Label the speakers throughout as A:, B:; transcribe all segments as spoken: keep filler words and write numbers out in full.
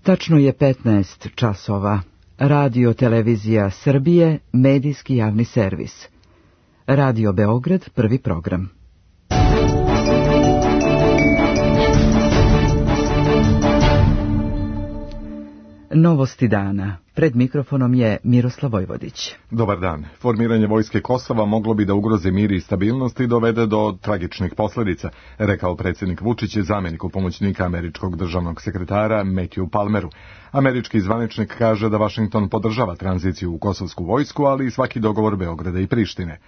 A: Tačno je petnaest časova. Radio Televizija Srbije, medijski javni servis. Radio Beograd, prvi program. Novosti dana. Pred mikrofonom je Miroslav Vojvodić.
B: Dobar dan. Formiranje vojske Kosova moglo bi da ugrozi mir i stabilnost i dovede do tragičnih posljedica, rekao predsjednik Vučić zamjeniku pomoćnika američkog državnog sekretara Matthew Palmeru. Američki zvaničnik kaže da Vašington podržava tranziciju u kosovsku vojsku, ali i svaki dogovor Beograda i Prištine.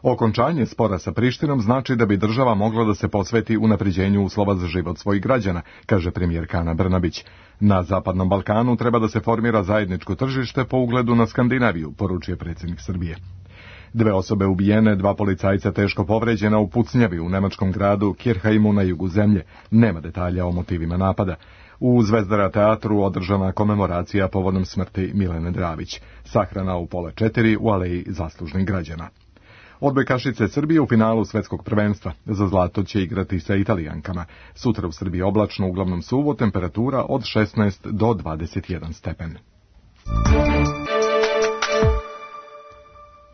B: Okončanje spora sa Prištinom znači da bi država mogla da se posveti unapređenju uslova za život svojih građana, kaže premijerka Ana Brnabić. Na Zapadnom Balkanu treba da se formira zajedničko tržište po ugledu na Skandinaviju, poručuje predsjednik Srbije. Dve osobe ubijene, dva policajca teško povređena u pucnjavi u nemačkom gradu Kirchheimu na jugu zemlje. Nema detalja o motivima napada. U Zvezdara teatru održana komemoracija povodom smrti Milene Dravić. Sahrana u pola četiri u aleji zaslužnih građana. Odbojkašice Srbije u finalu svetskog prvenstva. Za zlato će igrati sa Italijankama. Sutra u Srbiji oblačno, uglavnom suvo, temperatura od šesnaest do dvadeset jedan stepen.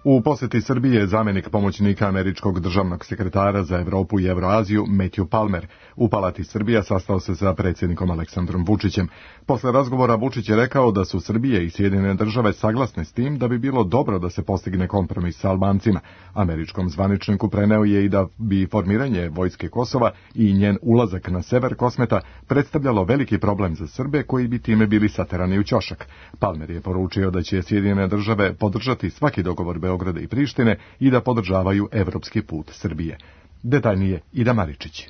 B: U posjeti Srbije zamjenik pomoćnika američkog državnog sekretara za Europu i Evroaziju Matthew Palmer u Palati Srbija sastao se sa predsjednikom Aleksandrom Vučićem. Posle razgovora Vučić je rekao da su Srbije i Sjedinjene države saglasne s tim da bi bilo dobro da se postigne kompromis sa Albancima. Američkom zvaničniku preneo je i da bi formiranje vojske Kosova i njen ulazak na sever Kosmeta predstavljalo veliki problem za Srbe koji bi time bili saterani u ćošak. Palmer je poručio da će Sjedinjene države podržati svaki dogovor Beograda i Prištine i da podržavaju evropski put Srbije. Detaljnije Ida Maričić.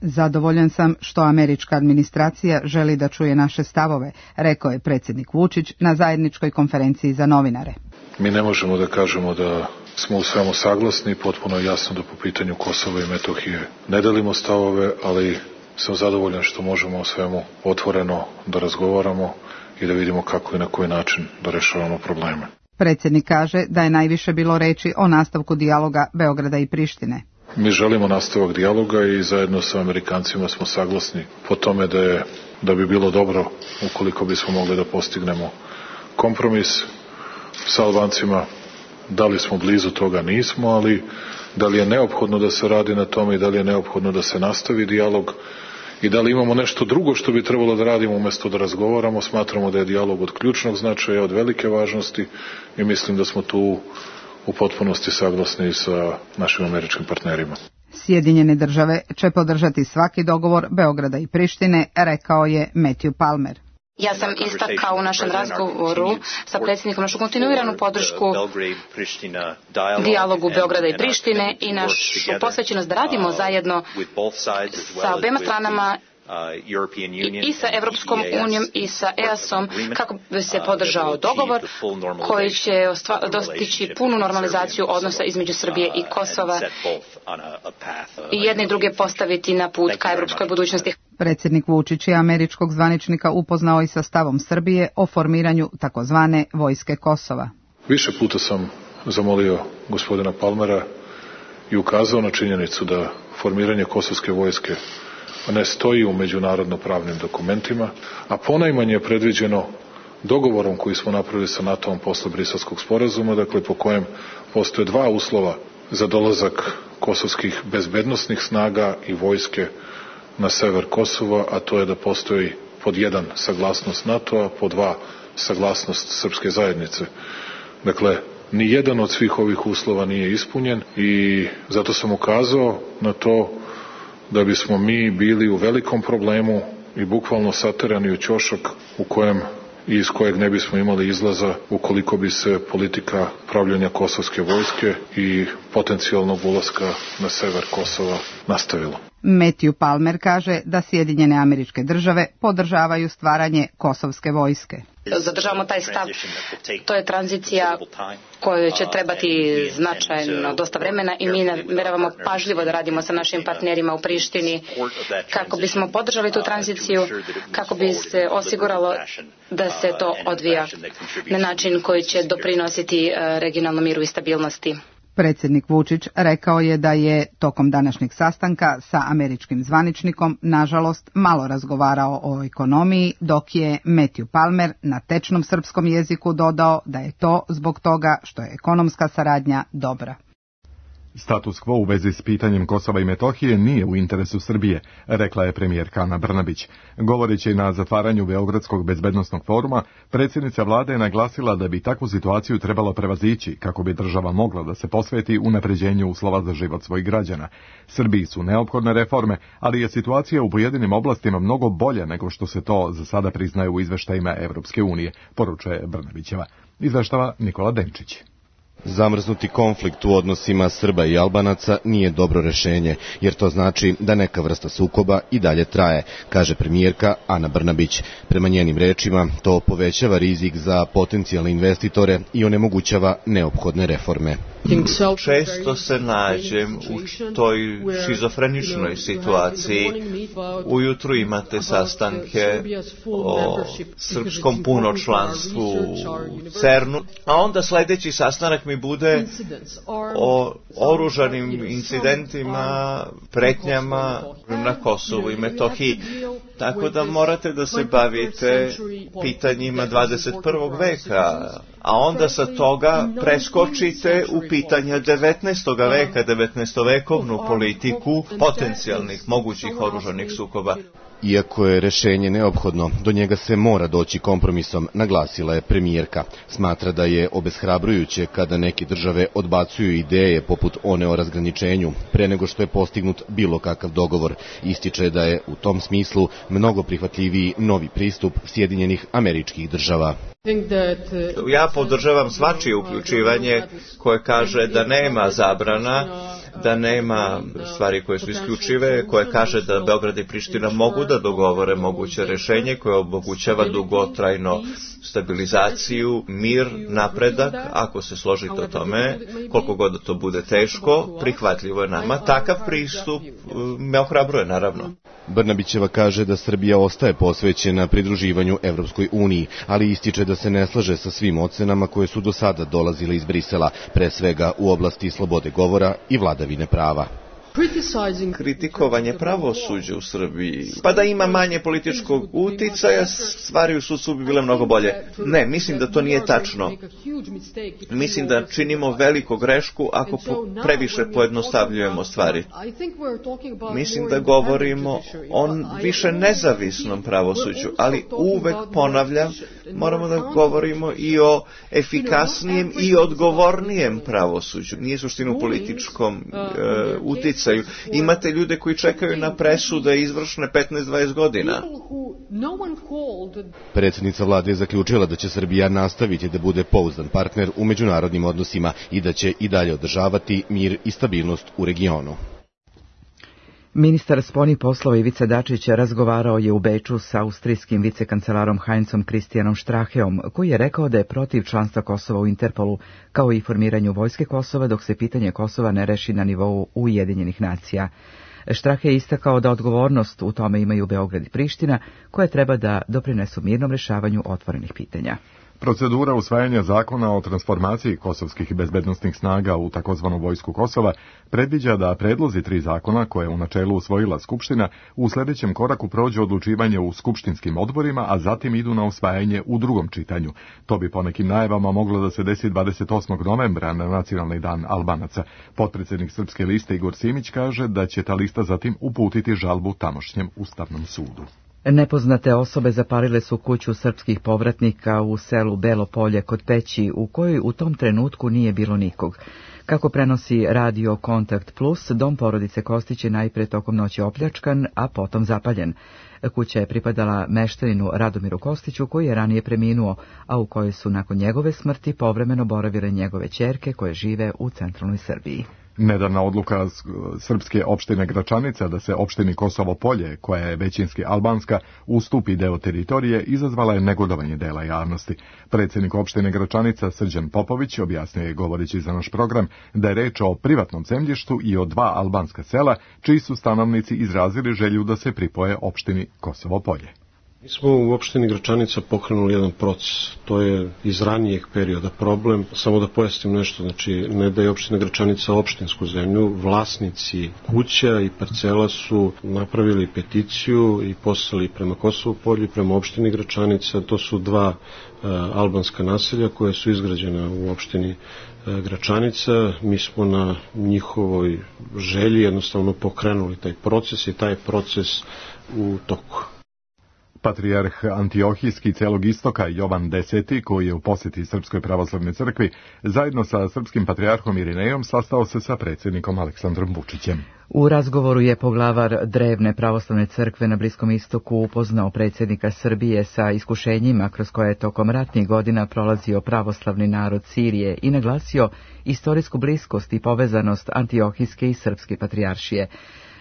C: Zadovoljan sam što američka administracija želi da čuje naše stavove, rekao je predsjednik Vučić na zajedničkoj konferenciji za novinare.
D: Mi ne možemo da kažemo da smo u svemu saglasni, potpuno jasno da po pitanju Kosova i Metohije ne delimo stavove, ali sam zadovoljan što možemo o svemu otvoreno da razgovaramo i da vidimo kako i na koji način da rešavamo probleme.
C: Predsjednik kaže da je najviše bilo reči o nastavku dijaloga Beograda i Prištine.
D: Mi želimo nastavak dijaloga i zajedno sa Amerikancima smo saglasni po tome da, je, da bi bilo dobro ukoliko bismo mogli da postignemo kompromis sa Albancima. Da li smo blizu toga, nismo, ali da li je neophodno da se radi na tome i da li je neophodno da se nastavi dijalog i da li imamo nešto drugo što bi trebalo da radimo umjesto da razgovaramo. Smatramo da je dijalog od ključnog značaja, od velike važnosti i mislim da smo tu u potpunosti saglasni sa našim američkim partnerima.
C: Sjedinjene države će podržati svaki dogovor Beograda i Prištine, rekao je Matthew Palmer.
E: Ja sam istakao u našem razgovoru sa predsjednikom našu kontinuiranu podršku dijalogu Beograda i Prištine i našu posvećenost da radimo zajedno sa obema stranama i sa Evropskom unijom i sa E A S-om kako bi se podržao dogovor koji će dostići punu normalizaciju odnosa između Srbije i Kosova i jedne i druge postaviti na put ka evropskoj budućnosti.
C: Predsjednik Vučić je američkog zvaničnika upoznao i sa stavom Srbije o formiranju takozvane vojske Kosova.
D: Više puta sam zamolio gospodina Palmera i ukazao na činjenicu da formiranje kosovske vojske ne stoji u međunarodno pravnim dokumentima, a ponajmanje je predviđeno dogovorom koji smo napravili sa NATO-om posle Briselskog sporazuma, dakle po kojem postoje dva uslova za dolazak kosovskih bezbednosnih snaga i vojske na sever Kosova, a to je da postoji pod jedan saglasnost NATO-a, pod dva saglasnost srpske zajednice. Dakle, ni jedan od svih ovih uslova nije ispunjen i zato sam ukazao na to da bismo mi bili u velikom problemu i bukvalno saterani u ćošak u kojem i iz kojeg ne bismo imali izlaza ukoliko bi se politika pravljenja kosovske vojske i potencijalnog ulaska na sever Kosova nastavila.
C: Matthew Palmer kaže da Sjedinjene Američke Države podržavaju stvaranje kosovske vojske.
E: Zadržavamo taj stav. To je tranzicija kojoj će trebati značajno dosta vremena i mi namjeravamo pažljivo da radimo sa našim partnerima u Prištini kako bismo podržali tu tranziciju, kako bi se osiguralo da se to odvija na način koji će doprinositi regionalnom miru i stabilnosti.
C: Predsjednik Vučić rekao je da je tokom današnjeg sastanka sa američkim zvaničnikom nažalost malo razgovarao o ekonomiji, dok je Matthew Palmer na tečnom srpskom jeziku dodao da je to zbog toga što je ekonomska saradnja dobra.
B: Status quo u vezi s pitanjem Kosova i Metohije nije u interesu Srbije, rekla je premijerka Ana Brnabić. Govoreći na zatvaranju Beogradskog bezbednosnog foruma, predsjednica vlade je naglasila da bi takvu situaciju trebalo prevazići kako bi država mogla da se posveti unapređenju uslova za život svojih građana. Srbiji su neophodne reforme, ali je situacija u pojedinim oblastima mnogo bolja nego što se to za sada priznaje u izveštajima Evropske unije, poručuje Brnabićeva. Izveštava Nikola Denčić.
F: Zamrznuti konflikt u odnosima Srba i Albanaca nije dobro rešenje, jer to znači da neka vrsta sukoba i dalje traje, kaže premijerka Ana Brnabić. Prema njenim rečima, to povećava rizik za potencijalne investitore i onemogućava neophodne reforme.
G: Često se nađem u toj šizofreničnoj situaciji. Ujutru imate sastanke o srpskom punočlanstvu u CERN-u, a onda sledeći sastanak mi bude o oružanim incidentima, pretnjama na Kosovu i Metohiji. Tako da morate da se bavite pitanjima dvadeset prvog veka, a onda sa toga preskočite u pitanja devetnaestog veka, devetnaestovekovnu politiku potencijalnih mogućih oružanih sukoba.
F: Iako je rešenje neophodno, do njega se mora doći kompromisom, naglasila je premijerka. Smatra da je obeshrabrujuće kada neke države odbacuju ideje poput one o razgraničenju, pre nego što je postignut bilo kakav dogovor. Ističe da je u tom smislu mnogo prihvatljiviji novi pristup Sjedinjenih Američkih Država.
G: Ja podržavam svačije uključivanje koje kaže da nema zabrana, da nema stvari koje su isključive, koje kaže da Beograd i Priština mogu da dogovore moguće rešenje koje omogućava dugotrajno stabilizaciju, mir, napredak. Ako se složite o tome, koliko god da to bude teško, prihvatljivo je nama. Takav pristup me ohrabruje, naravno.
F: Brnabićeva kaže da Srbija ostaje posvećena pridruživanju Evropskoj uniji, ali ističe da se ne slaže sa svim ocenama koje su do sada dolazile iz Brisela, pre svega u oblasti slobode govora i vladavine prava.
G: Kritikovanje pravosuđa u Srbiji, pa da ima manje političkog uticaja, stvari u sudstvu bi bile mnogo bolje. Ne, mislim da to nije tačno. Mislim da činimo veliku grešku ako previše pojednostavljujemo stvari. Mislim da govorimo o više nezavisnom pravosuđu, ali uvek ponavljam, moramo da govorimo i o efikasnijem i odgovornijem pravosuđu. Nije suština u političkom e, uticaju. Imate ljude koji čekaju na presude izvršne petnaest do dvadeset godina.
F: Predsjednica vlade je zaključila da će Srbija nastaviti da bude pouzdan partner u međunarodnim odnosima i da će i dalje održavati mir i stabilnost u regionu.
A: Ministar spoljnih poslova Ivica Dačić razgovarao je u Beču sa austrijskim vicekancelarom Heinzom Christianom Stracheom, koji je rekao da je protiv članstva Kosova u Interpolu, kao i formiranju vojske Kosova dok se pitanje Kosova ne reši na nivou Ujedinjenih nacija. Strache je istakao da odgovornost u tome imaju Beograd i Priština, koje treba da doprinesu mirnom rešavanju otvorenih pitanja.
B: Procedura usvajanja zakona o transformaciji kosovskih bezbednosnih snaga u takozvanu vojsku Kosova predviđa da predlozi tri zakona koje je u načelu usvojila Skupština u sljedećem koraku prođe odlučivanje u skupštinskim odborima, a zatim idu na usvajanje u drugom čitanju. To bi po nekim najavama moglo da se desi dvadeset osmog novembra na Nacionalni dan Albanaca. Potpredsjednik Srpske liste Igor Simić kaže da će ta lista zatim uputiti žalbu tamošnjem Ustavnom sudu.
A: Nepoznate osobe zapalile su kuću srpskih povratnika u selu Belo Polje kod Peći, u kojoj u tom trenutku nije bilo nikog. Kako prenosi Radio Kontakt Plus, dom porodice Kostić je najpre tokom noći opljačkan, a potom zapaljen. Kuća je pripadala meštaninu Radomiru Kostiću, koji je ranije preminuo, a u kojoj su nakon njegove smrti povremeno boravile njegove ćerke koje žive u centralnoj Srbiji.
B: Nedavna odluka srpske opštine Gračanica da se opštini Kosovo Polje, koja je većinski albanska, ustupi deo teritorije, izazvala je negodovanje dela javnosti. Predsjednik opštine Gračanica Srđan Popović objasnio je, govoreći za naš program, da je reč o privatnom zemljištu i o dva albanska sela, čiji su stanovnici izrazili želju da se pripoje opštini Kosovo Polje.
H: Mi smo u opštini Gračanica pokrenuli jedan proces, to je iz ranijeg perioda problem. Samo da pojasnim nešto, znači ne da je opština Gračanica opštinsku zemlju, vlasnici kuća i parcela su napravili peticiju i poslali prema Kosovu polju, prema opštini Gračanica. To su dva uh, albanska naselja koje su izgrađena u opštini uh, Gračanica. Mi smo na njihovoj želji jednostavno pokrenuli taj proces i taj proces u toku.
B: Patrijarh Antiohijski celog istoka Jovan Deseti, koji je u posjeti Srpskoj pravoslavnoj crkvi, zajedno sa srpskim patrijarhom Irinejom sastao se sa predsjednikom Aleksandrom Vučićem.
A: U razgovoru je poglavar drevne pravoslavne crkve na Bliskom istoku upoznao predsjednika Srbije sa iskušenjima kroz koje je tokom ratnih godina prolazio pravoslavni narod Sirije i naglasio istorijsku bliskost i povezanost Antiohijske i srpske patrijaršije.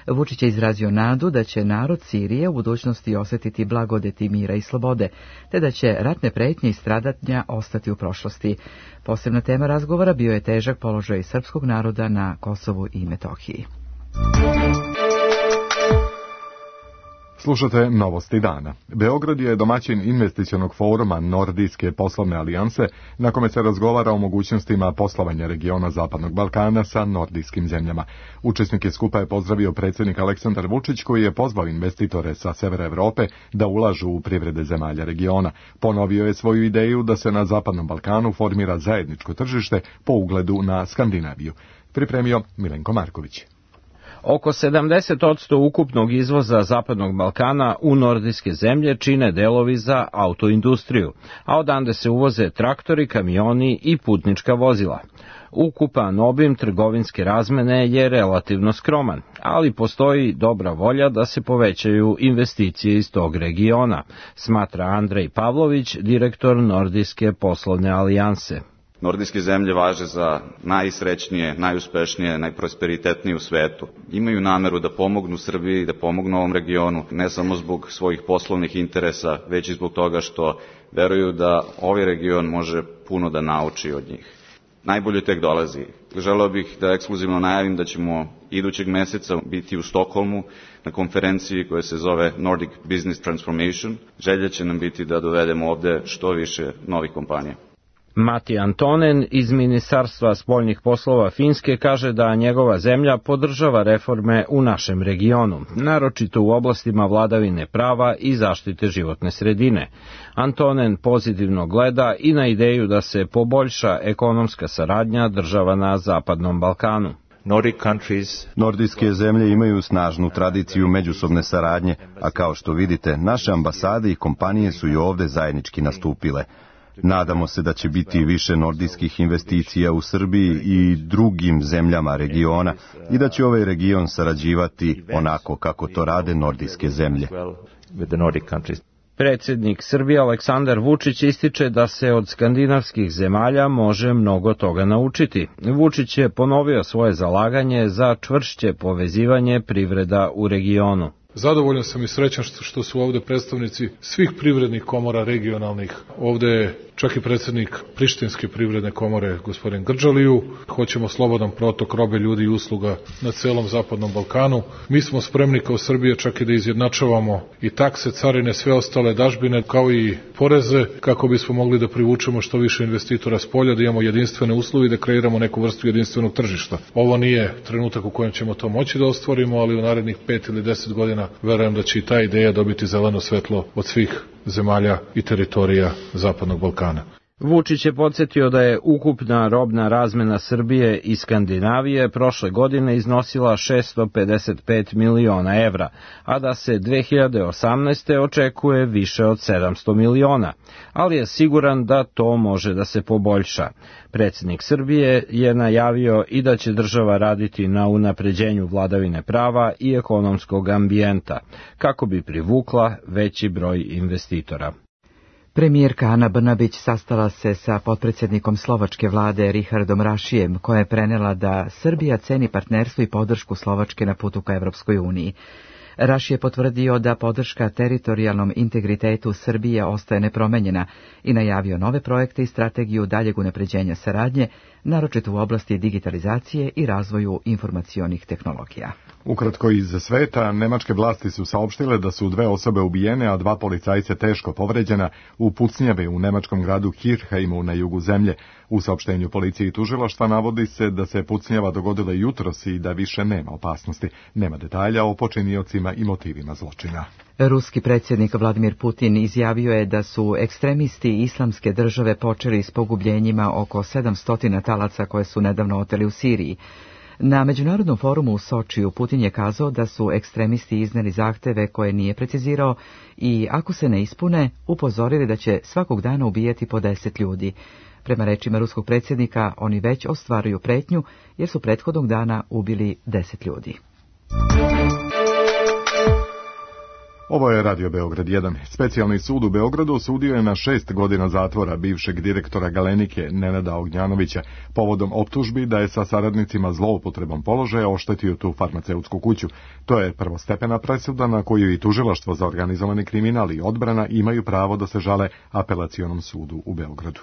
A: Vučić je izrazio nadu da će narod Sirije u budućnosti osjetiti blagodeti mira i slobode, te da će ratne pretnje i stradatnja ostati u prošlosti. Posebna tema razgovora bio je težak položaj srpskog naroda na Kosovu i Metohiji.
B: Slušate Novosti dana. Beograd je domaćin investicionog foruma Nordijske poslovne alijanse, na kome se razgovara o mogućnostima poslovanja regiona Zapadnog Balkana sa nordijskim zemljama. Učesnike skupa je pozdravio predsjednik Aleksandar Vučić, koji je pozvao investitore sa severa Evrope da ulažu u privrede zemalja regiona. Ponovio je svoju ideju da se na Zapadnom Balkanu formira zajedničko tržište po ugledu na Skandinaviju. Pripremio Milenko Marković.
I: Oko sedamdeset posto ukupnog izvoza Zapadnog Balkana u nordijske zemlje čine delovi za autoindustriju, a odande se uvoze traktori, kamioni i putnička vozila. Ukupan obim trgovinske razmene je relativno skroman, ali postoji dobra volja da se povećaju investicije iz tog regiona, smatra Andrej Pavlović, direktor Nordijske poslovne alijanse.
J: Nordijske zemlje važe za najsrećnije, najuspešnije, najprosperitetnije u svetu. Imaju nameru da pomognu Srbiji, da pomognu ovom regionu, ne samo zbog svojih poslovnih interesa, već i zbog toga što veruju da ovaj region može puno da nauči od njih. Najbolje tek dolazi. Želeo bih da ekskluzivno najavim da ćemo idućeg meseca biti u Stokholmu na konferenciji koja se zove Nordic Business Transformation. Želja će nam biti da dovedemo ovde što više novih kompanija.
I: Mati Antonen iz Ministarstva spoljnih poslova Finske kaže da njegova zemlja podržava reforme u našem regionu, naročito u oblastima vladavine prava i zaštite životne sredine. Antonen pozitivno gleda i na ideju da se poboljša ekonomska saradnja država na Zapadnom Balkanu.
K: Nordijske zemlje imaju snažnu tradiciju međusobne saradnje, a kao što vidite, naše ambasade i kompanije su i ovde zajednički nastupile. Nadamo se da će biti više nordijskih investicija u Srbiji i drugim zemljama regiona i da će ovaj region sarađivati onako kako to rade nordijske zemlje.
I: Predsjednik Srbije Aleksandar Vučić ističe da se od skandinavskih zemalja može mnogo toga naučiti. Vučić je ponovio svoje zalaganje za čvršće povezivanje privreda u regionu.
D: Zadovoljan sam i srećan što su ovde predstavnici svih privrednih komora regionalnih. Ovde je čak i predsjednik Prištinske privredne komore, gospodin Grđaliju. Hoćemo slobodan protok robe, ljudi i usluga na celom Zapadnom Balkanu. Mi smo spremni kao Srbija čak i da izjednačavamo i takse, carine, sve ostale dažbine, kao i poreze, kako bismo mogli da privučemo što više investitora s polja, da imamo jedinstvene uslove i da kreiramo neku vrstu jedinstvenog tržišta. Ovo nije trenutak u kojem ćemo to moći da ostvarimo, ali u narednih pet ili deset godina verujem da će i ta ideja dobiti zeleno svetlo od svih zemalja i teritorija Zapadnog Balkana.
I: Vučić je podsjetio da je ukupna robna razmena Srbije i Skandinavije prošle godine iznosila šessto pedeset pet miliona evra, a da se dve hiljade osamnaeste. očekuje više od sedamsto miliona, ali je siguran da to može da se poboljša. Predsjednik Srbije je najavio i da će država raditi na unapređenju vladavine prava i ekonomskog ambijenta, kako bi privukla veći broj investitora.
A: Premijerka Ana Brnabić sastala se sa potpredsjednikom slovačke vlade Richardom Rašijem, koja je prenela da Srbija ceni partnerstvo i podršku Slovačke na putu ka Evropskoj uniji. Raši je potvrdio da podrška teritorijalnom integritetu Srbije ostaje nepromenjena i najavio nove projekte i strategiju daljeg unapređenja saradnje, naročito u oblasti digitalizacije i razvoju informacionih tehnologija.
B: Ukratko iz sveta, nemačke vlasti su saopštile da su dve osobe ubijene, a dva policajca teško povređena u pucnjave u nemačkom gradu Kirchheimu na jugu zemlje. U saopštenju policije i tužilaštva navodi se da se pucnjava dogodila jutros i da više nema opasnosti. Nema detalja o počiniocima i motivima zločina.
A: Ruski predsjednik Vladimir Putin izjavio je da su ekstremisti Islamske države počeli s pogubljenjima oko sedamsto talaca koje su nedavno oteli u Siriji. Na Međunarodnom forumu u Sočiju Putin je kazao da su ekstremisti iznijeli zahteve koje nije precizirao i ako se ne ispune, upozorili da će svakog dana ubijati po deset ljudi. Prema rečima ruskog predsjednika, oni već ostvaruju pretnju jer su prethodnog dana ubili deset ljudi.
B: Ovo je Radio Beograd jedan. Specijalni sud u Beogradu osudio je na šest godina zatvora bivšeg direktora Galenike Nenada Ognjanovića povodom optužbi da je sa saradnicima zloupotrebom položaja oštetio tu farmaceutsku kuću. To je prvostepena presuda na koju i tužilaštvo za organizovani kriminal i odbrana imaju pravo da se žale Apelacionom sudu u Beogradu.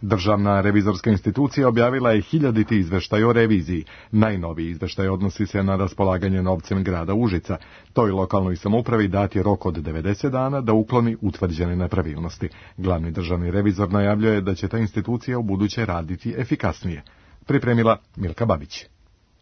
B: Državna revizorska institucija objavila je hiljaditi izveštaj o reviziji. Najnoviji izveštaj odnosi se na raspolaganje novcem grada Užica. Toj lokalnoj samoupravi dat je rok od devedeset dana da ukloni utvrđene nepravilnosti. Glavni državni revizor najavljuje da će ta institucija u buduće raditi efikasnije. Pripremila Milka Babić.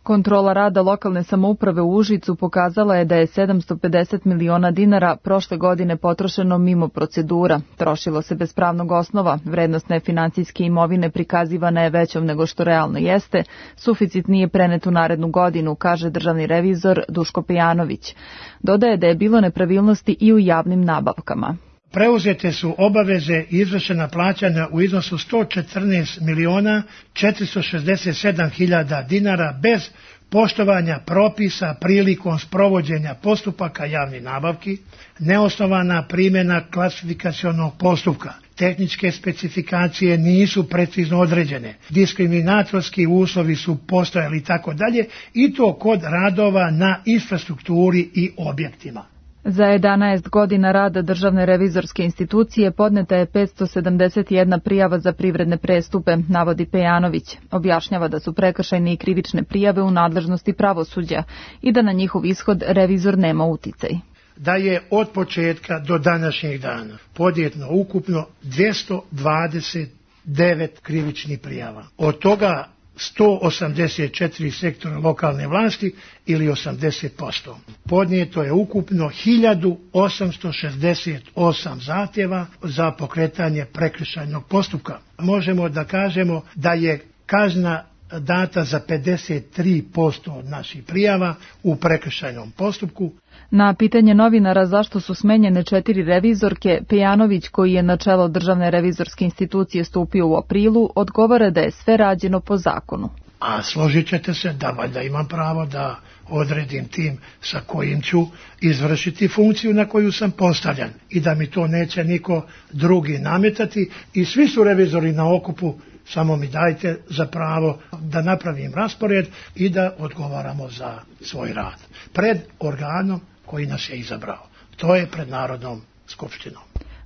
L: Kontrola rada lokalne samouprave u Užicu pokazala je da je sedamsto pedeset miliona dinara prošle godine potrošeno mimo procedura. Trošilo se bez pravnog osnova, vrednost nefinancijske imovine prikazivana je većom nego što realno jeste, suficit nije prenet u narednu godinu, kaže državni revizor Duško Pejanović. Dodaje da je bilo nepravilnosti i u javnim nabavkama.
M: Preuzete su obaveze i izvršena plaćanja u iznosu sto četrnaest miliona četiristo šezdeset sedam hiljada dinara bez poštovanja propisa prilikom sprovođenja postupaka javnih nabavki, neosnovana primjena klasifikacionog postupka. Tehničke specifikacije nisu precizno određene, diskriminatorski uslovi su postojali i tako dalje, i to kod radova na infrastrukturi i objektima.
L: Za jedanaest godina rada Državne revizorske institucije podneta je petsto sedamdeset jedna prijava za privredne prestupe, navodi Pejanović. Objašnjava da su prekršajne i krivične prijave u nadležnosti pravosuđa i da na njihov ishod revizor nema uticaj.
M: Da je od početka do današnjeg dana podnijeto ukupno dvjesto dvadeset devet krivičnih prijava. Od toga sto osamdeset četiri sektora lokalne vlasti ili osamdeset posto. Podnijeto je ukupno hiljadu osamsto šezdeset osam zahtjeva za pokretanje prekršajnog postupka. Možemo da kažemo da je kazna data za pedeset tri posto od naših prijava u prekršajnom postupku.
L: Na pitanje novinara zašto su smenjene četiri revizorke, Pejanović, koji je na čelo Državne revizorske institucije stupio u aprilu, odgovara da je sve rađeno po zakonu.
M: A složit ćete se da valjda imam pravo da odredim tim sa kojim ću izvršiti funkciju na koju sam postavljan i da mi to neće niko drugi nametati, i svi su revizori na okupu, samo mi dajte za pravo da napravim raspored i da odgovaramo za svoj rad pred organom koji nas je izabrao. To je pred Narodnom skupštinom.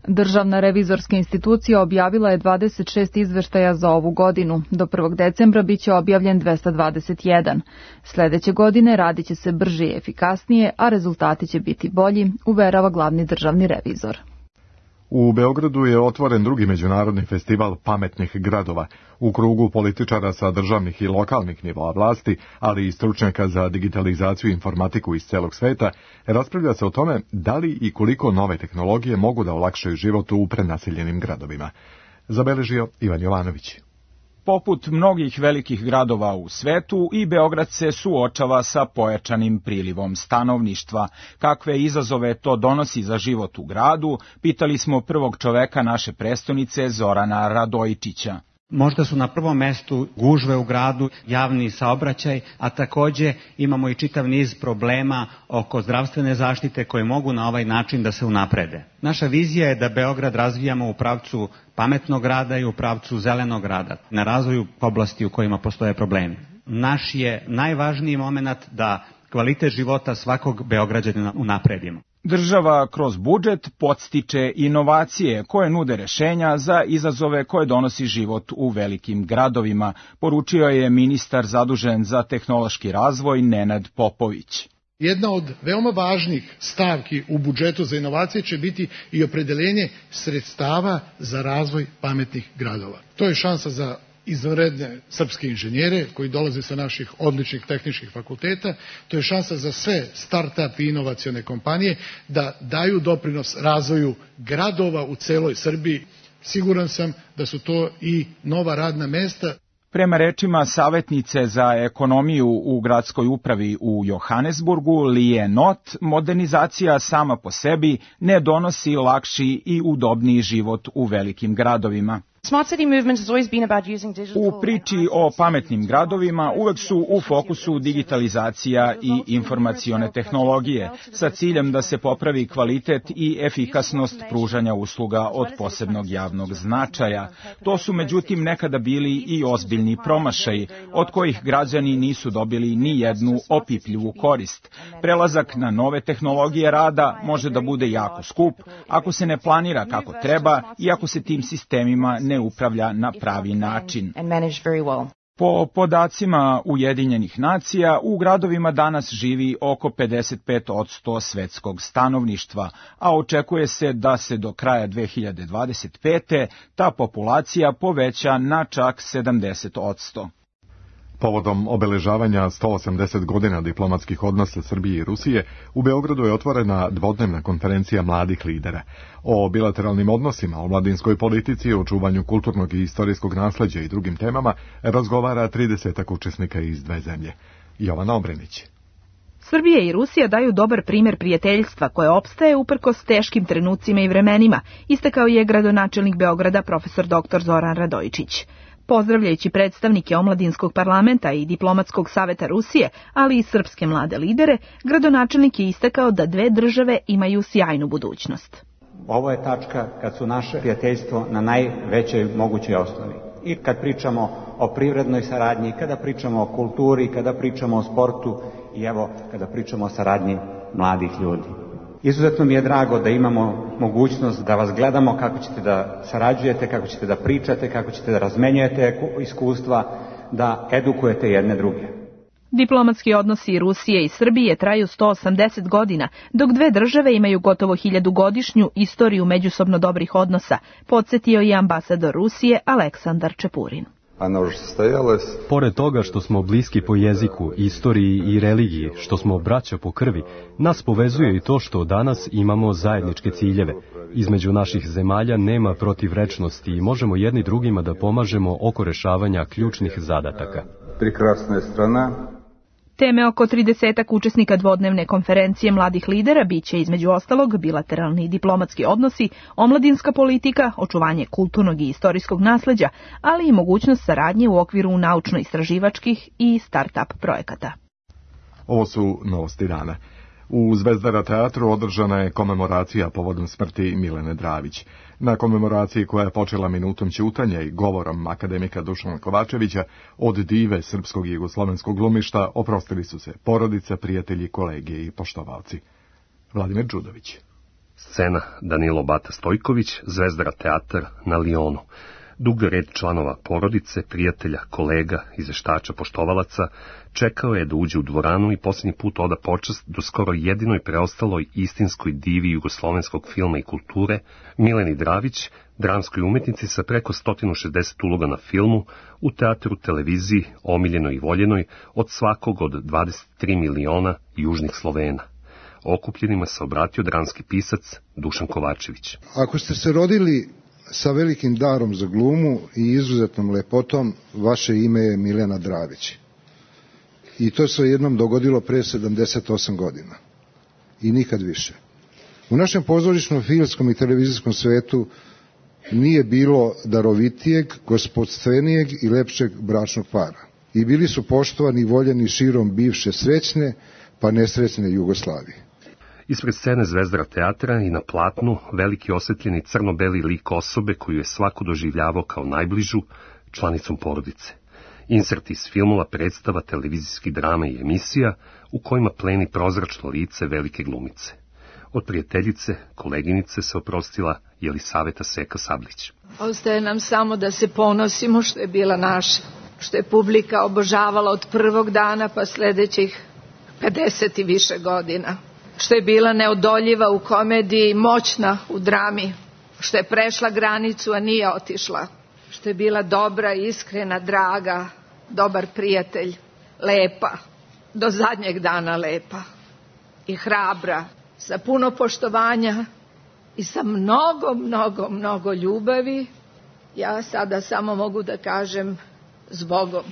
L: Državna revizorska institucija objavila je dvadeset šest izveštaja za ovu godinu. Do prvog decembra biće objavljen dvesta dvadeset jedan. Sljedeće godine radit će se brže i efikasnije, a rezultati će biti bolji, uverava glavni državni revizor.
B: U Beogradu je otvoren drugi međunarodni festival pametnih gradova. U krugu političara sa državnih i lokalnih nivoa vlasti, ali i stručnjaka za digitalizaciju i informatiku iz celog sveta, raspravlja se o tome da li i koliko nove tehnologije mogu da olakšaju život u prenaseljenim gradovima. Zabeležio Ivan Jovanović.
N: Poput mnogih velikih gradova u svetu, i Beograd se suočava sa pojačanim prilivom stanovništva. Kakve izazove to donosi za život u gradu, pitali smo prvog čoveka naše prestonice, Zorana Radojičića.
O: Možda su na prvom mestu gužve u gradu, javni saobraćaj, a takođe imamo i čitav niz problema oko zdravstvene zaštite koje mogu na ovaj način da se unaprede. Naša vizija je da Beograd razvijamo u pravcu pametnog grada i u pravcu zelenog grada, na razvoju oblasti u kojima postoje problemi. Naš je najvažniji moment da kvalitet života svakog Beograđanina unapredimo.
N: Država kroz budžet podstiče inovacije koje nude rešenja za izazove koje donosi život u velikim gradovima, poručio je ministar zadužen za tehnološki razvoj Nenad Popović.
M: Jedna od veoma važnih stavki u budžetu za inovacije će biti i opredeljenje sredstava za razvoj pametnih gradova. To je šansa za izvanredne srpske inženjere koji dolaze sa naših odličnih tehničkih fakulteta, to je šansa za sve start-up i inovacione kompanije da daju doprinos razvoju gradova u celoj Srbiji. Siguran sam da su to i nova radna mesta.
N: Prema rečima savjetnice za ekonomiju u gradskoj upravi u Johannesburgu, Lije Not, modernizacija sama po sebi ne donosi lakši i udobniji život u velikim gradovima. U priči o pametnim gradovima uvek su u fokusu digitalizacija i informacione tehnologije, sa ciljem da se popravi kvalitet i efikasnost pružanja usluga od posebnog javnog značaja. To su međutim nekada bili i ozbiljni promašaji, od kojih građani nisu dobili ni jednu opipljivu korist. Prelazak na nove tehnologije rada može da bude jako skup ako se ne planira kako treba i ako se tim sistemima ne upravlja na pravi način. Po podacima Ujedinjenih nacija, u gradovima danas živi oko pedeset pet posto svetskog stanovništva, a očekuje se da se do kraja dve hiljade dvadeset pete ta populacija poveća na čak sedamdeset posto.
B: Povodom obeležavanja sto osamdeset godina diplomatskih odnosa Srbije i Rusije, u Beogradu je otvorena dvodnevna konferencija mladih lidera. O bilateralnim odnosima, o mladinskoj politici, o čuvanju kulturnog i istorijskog nasleđa i drugim temama razgovara tridesetak učesnika iz dve zemlje. Jovana Obrenić.
P: Srbija i Rusija daju dobar primjer prijateljstva koje opstaje uprkos teškim trenucima i vremenima, istakao je gradonačelnik Beograda profesor doktor Zoran Radojičić. Pozdravljajući predstavnike Omladinskog parlamenta i Diplomatskog saveta Rusije, ali i srpske mlade lidere, gradonačelnik je istakao da dve države imaju sjajnu budućnost.
O: Ovo je tačka kad su naše prijateljstvo na najvećoj mogućoj osnovi. I kad pričamo o privrednoj saradnji, kada pričamo o kulturi, kada pričamo o sportu i evo kada pričamo o saradnji mladih ljudi. Izuzetno mi je drago da imamo mogućnost da vas gledamo kako ćete da sarađujete, kako ćete da pričate, kako ćete da razmenjujete iskustva, da edukujete jedne druge.
P: Diplomatski odnosi Rusije i Srbije traju sto osamdeset godina, dok dve države imaju gotovo hiljadugodišnju istoriju međusobno dobrih odnosa, podsjetio je ambasador Rusije Aleksandar Čepurin.
Q: Pored toga što smo bliski po jeziku, istoriji i religiji, što smo braća po krvi, nas povezuje i to što danas imamo zajedničke ciljeve. Između naših zemalja nema protivrečnosti i možemo jedni drugima da pomažemo oko rešavanja ključnih zadataka.
R: Prekrasna je strana.
P: Teme oko tridesetak učesnika dvodnevne konferencije mladih lidera biće između ostalog bilateralni i diplomatski odnosi, omladinska politika, očuvanje kulturnog i istorijskog nasleđa, ali i mogućnost saradnje u okviru naučno-istraživačkih i start-up projekata.
B: Ovo su novosti dana. U Zvezdara teatru održana je komemoracija povodom smrti Milene Dravić. Na komemoraciji koja je počela minutom ćutanja i govorom akademika Dušana Kovačevića od dive srpskog i jugoslovenskog glumišta oprostili su se porodica, prijatelji, kolege i poštovalci. Vladimir Đudović.
S: Scena Danilo Bata Stojković, Zvezdara teatar na Lionu. Dug red članova porodice, prijatelja, kolega, izveštača, poštovalaca čekao je da uđe u dvoranu i posljednji put oda počast do skoro jedinoj preostaloj istinskoj divi jugoslovenskog filma i kulture, Mileni Dravić, dramskoj umetnici sa preko sto šezdeset uloga na filmu, u teatru, televiziji, omiljenoj i voljenoj od svakog od dvadeset tri miliona južnih Slovena. Okupljenima se obratio dramski pisac Dušan Kovačević.
R: Ako ste se rodili sa velikim darom za glumu i izuzetnom lepotom, vaše ime je Milena Dravić. I to se jednom dogodilo pre sedamdeset osam godina. I nikad više. U našem pozorišnom, filmskom i televizijskom svetu nije bilo darovitijeg, gospodstvenijeg i lepšeg bračnog para. I bili su poštovani i voljeni širom bivše srećne, pa nesrećne Jugoslavije.
S: Ispred scene Zvezdara teatra i na platnu veliki osvetljeni crno-beli lik osobe koju je svako doživljavao kao najbližu članicom porodice. Inserti iz filmova, predstava, televizijskih drama i emisija u kojima pleni prozračno lice velike glumice. Od prijateljice, koleginice se oprostila Jelisaveta Seka Sablić.
T: Ostaje nam samo da se ponosimo što je bila naša, što je publika obožavala od prvog dana pa sledećih pedeset i više godina, što je bila neodoljiva u komediji, moćna u drami, što je prešla granicu, a nije otišla, što je bila dobra, iskrena, draga, dobar prijatelj, lepa, do zadnjeg dana lepa i hrabra, sa puno poštovanja i sa mnogo, mnogo, mnogo ljubavi. Ja sada samo mogu da kažem s Bogom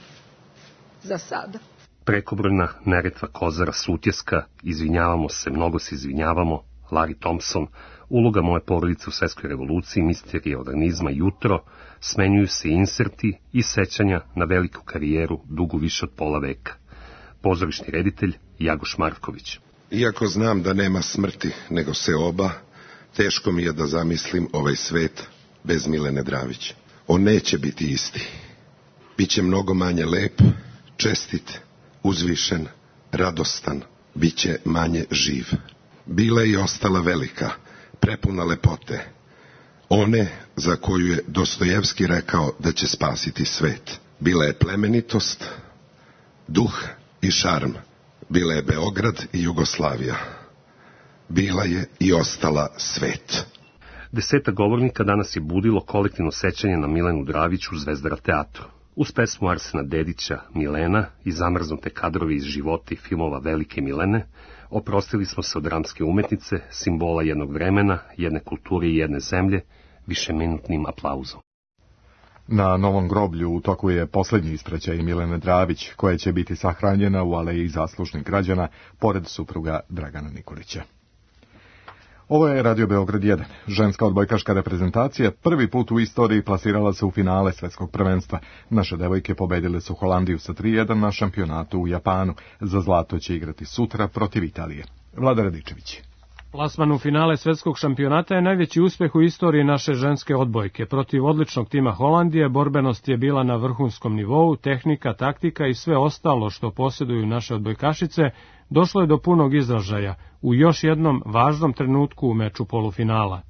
T: za sada.
S: Prekobrojna, Neretva, Kozara, Sutjeska, Izvinjavamo se, mnogo se izvinjavamo, Larry Thompson, Uloga moje porodice u svetskoj revoluciji, Misterija organizma, Jutro, smenjuju se inserti i sećanja na veliku karijeru dugu više od pola veka. Pozorišni reditelj Jagoš Marković.
U: Iako znam da nema smrti nego se oba, teško mi je da zamislim ovaj svet bez Milene Dravić. On neće biti isti. Biće mnogo manje lep, čestit, uzvišen, radostan, biće manje živ. Bila je i ostala velika, prepuna lepote. One za koju je Dostojevski rekao da će spasiti svet. Bila je plemenitost, duh i šarm. Bila je Beograd i Jugoslavija. Bila je i ostala svet.
S: Deseta govornika danas je budilo kolektivno sećanje na Milenu Dravić u Zvezdara teatru. Uz pesmu Arsena Dedića, Milena i zamrznute kadrovi iz života i filmova Velike Milene, oprostili smo se od dramske umetnice, simbola jednog vremena, jedne kulture i jedne zemlje, višeminutnim aplauzom.
B: Na Novom groblju u toku je posljednji ispraćaj Milene Dravić, koja će biti sahranjena u aleji zaslužnih građana, pored supruga Dragana Nikolića. Ovo je Radio Beograd jedan. Ženska odbojkaška reprezentacija prvi put u istoriji plasirala se u finale svetskog prvenstva. Naše devojke pobedile su Holandiju sa tri jedan na šampionatu u Japanu. Za zlato će igrati sutra protiv Italije. Vlada Radičević.
V: Plasman u finale svetskog šampionata je najveći uspeh u istoriji naše ženske odbojke. Protiv odličnog tima Holandije borbenost je bila na vrhunskom nivou, tehnika, taktika i sve ostalo što posjeduju naše odbojkašice došlo je do punog izražaja u još jednom važnom trenutku u meču polufinala.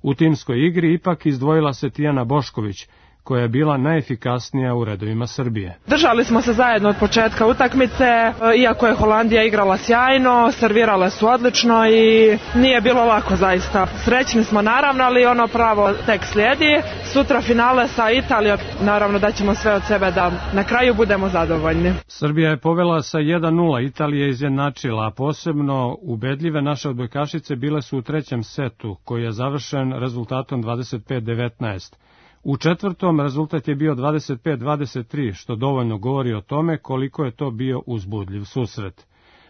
V: U timskoj igri ipak izdvojila se Tijana Bošković, koja je bila najefikasnija u redovima Srbije.
W: Držali smo se zajedno od početka utakmice, iako je Holandija igrala sjajno, servirale su odlično i nije bilo lako zaista. Srećni smo naravno, ali ono pravo tek slijedi. Sutra finale sa Italijom, naravno da ćemo sve od sebe da na kraju budemo zadovoljni.
V: Srbija je povela sa jedan nula, Italija je izjednačila, a posebno ubedljive naše odbojkašice bile su u trećem setu, koji je završen rezultatom dvadeset pet devetnaest. U četvrtom rezultat je bio dvadeset pet dvadeset tri, što dovoljno govori o tome koliko je to bio uzbudljiv susret.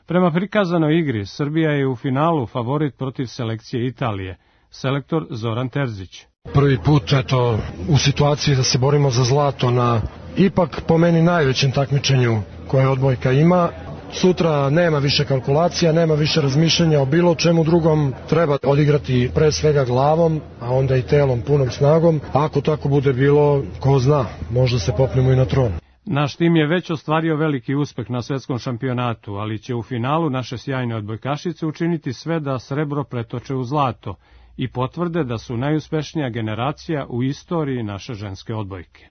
V: Prema prikazanoj igri, Srbija je u finalu favorit protiv selekcije Italije. Selektor Zoran Terzić.
X: Prvi put, eto, u situaciji da se borimo za zlato na ipak po meni najvećem takmičenju koje odbojka ima. Sutra nema više kalkulacija, nema više razmišljanja o bilo čemu drugom, treba odigrati pre svega glavom, a onda i telom punom snagom. Ako tako bude bilo, ko zna, možda se popnemo i na tron.
V: Naš tim je već ostvario veliki uspeh na svetskom šampionatu, ali će u finalu naše sjajne odbojkašice učiniti sve da srebro pretoče u zlato i potvrde da su najuspešnija generacija u istoriji naše ženske odbojke.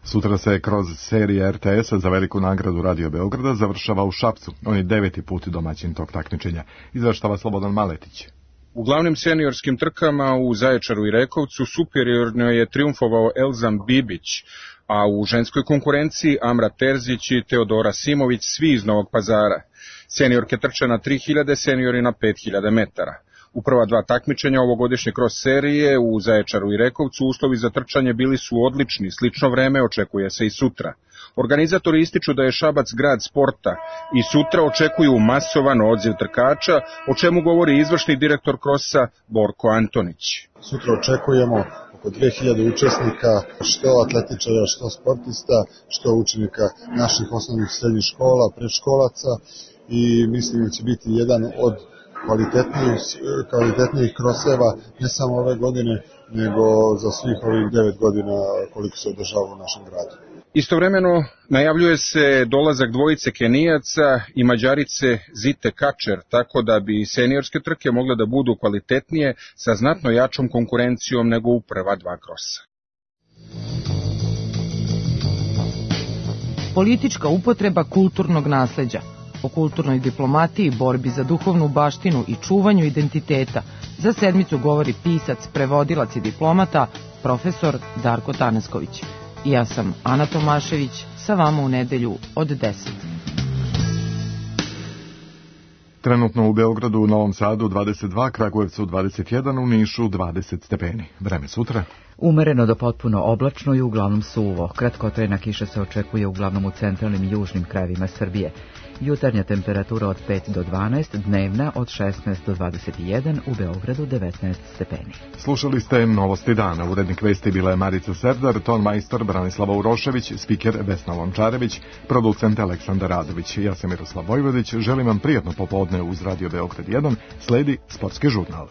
B: Sutra se kroz serije R T S-a za veliku nagradu Radio Beograda završava u Šapcu. On je deveti put domaćin tog takmičenja. Izveštava Slobodan Maletić.
Y: U glavnim seniorskim trkama u Zaječaru i Rekovcu superiorno je triumfovao Elzam Bibić, a u ženskoj konkurenciji Amra Terzić i Teodora Simović, svi iz Novog Pazara. Seniorke trče na tri hiljade, seniori na pet hiljada metara. U prva dva takmičenja ovogodišnje cross serije u Zaječaru i Rekovcu uslovi za trčanje bili su odlični, slično vreme očekuje se i sutra. Organizatori ističu da je Šabac grad sporta i sutra očekuju masovan odziv trkača, o čemu govori izvršni direktor krosa Borko Antonić.
Z: Sutra očekujemo oko dve hiljade učesnika, što atletičara, što sportista, što učenika naših osnovnih srednjih škola, predškolaca i mislim da će biti jedan od kvalitetnijih, kvalitetnijih kroseva ne samo ove godine, nego za svih ovih devet godina koliko se održava u našem gradu.
Y: Istovremeno najavljuje se dolazak dvojice Kenijaca i Mađarice Zite Kačer, tako da bi seniorske trke mogle da budu kvalitetnije sa znatno jačom konkurencijom nego u prva dva krosa.
C: Politička upotreba kulturnog nasleđa. O kulturnoj diplomatiji, borbi za duhovnu baštinu i čuvanju identiteta za sedmicu govori pisac, prevodilac i diplomata, profesor Darko Tanesković. Ja sam Ana Tomašević, sa vama u nedelju od deset.
B: Trenutno u Beogradu, u Novom Sadu dvadeset dva, Kragujevcu dvadeset jedan, u Nišu dvadeset stepeni. Vreme sutra?
A: Umereno do potpuno oblačno i uglavnom suvo. Kratkotrajna kiša se očekuje uglavnom u centralnim i južnim krajevima Srbije. Jutarnja temperatura od pet do dvanaest, dnevna od šesnaest do dvadeset jedan, u Beogradu devetnaest stepeni.
B: Slušali ste Novosti dana. Urednik vesti bila je Marica Serdar, ton majstor Branislava Urošević, spiker Vesna Lončarević, producent Aleksandar Radović. Ja sam Miroslav Vojvodić, želim vam prijatno popodne uz Radio Beograd jedan, sledi Sportski žurnal.